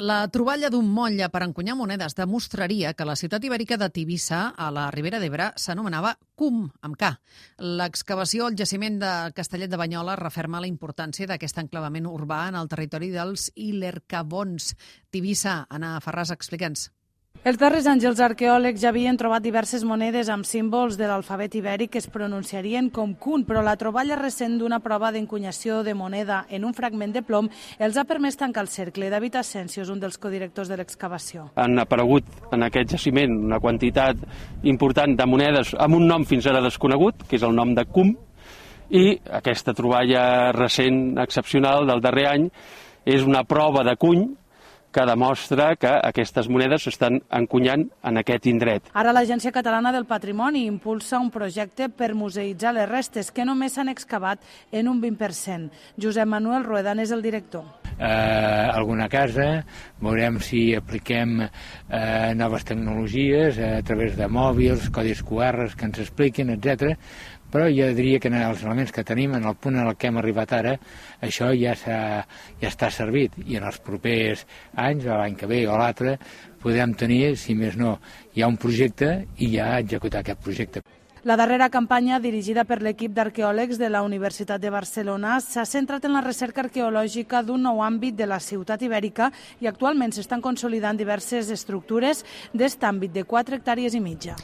La troballa d'un motlle per encunyar monedes demostraria que la ciutat ibèrica de Tivissa, a la Ribera d'Ebre, s'anomenava CUM, amb K. L'excavació al jaciment de Castellet de Banyoles referma la importància d'aquest enclavament urbà en el territori dels Ilercavons. Tivissa, Anna Ferràs, explica'ns. Els darrers anys els arqueòlegs ja havien trobat diverses monedes amb símbols de l'alfabet ibèric que es pronunciarien com CUN, però la troballa recent d'una prova d'encunyació de moneda en un fragment de plom els ha permès tancar el cercle. David Asensio és un dels codirectors de l'excavació. Han aparegut en aquest jaciment una quantitat important de monedes amb un nom fins ara desconegut, que és el nom de CUM, i aquesta troballa recent excepcional del darrer any és una prova de cuny que demostra que aquestes monedes s'estan encunyant en aquest indret. Ara l'Agència Catalana del Patrimoni impulsa un projecte per museïtzar les restes que només s'han excavat en un 20%. Josep Manuel Ruedan és el director. Alguna casa, veurem si apliquem noves tecnologies a través de mòbils, codis QR que ens expliquin, etc. Però jo diria que en els elements que tenim, en el punt en el que hem arribat ara, això ja està servit, i en els propers anys, l'any que ve o l'altre, podem tenir, si més no, ja un projecte i ja executar aquest projecte. La darrera campanya, dirigida per l'equip d'arqueòlegs de la Universitat de Barcelona, s'ha centrat en la recerca arqueològica d'un nou àmbit de la ciutat ibèrica i actualment s'estan consolidant diverses estructures d'est àmbit de 4 hectàrees i mitja.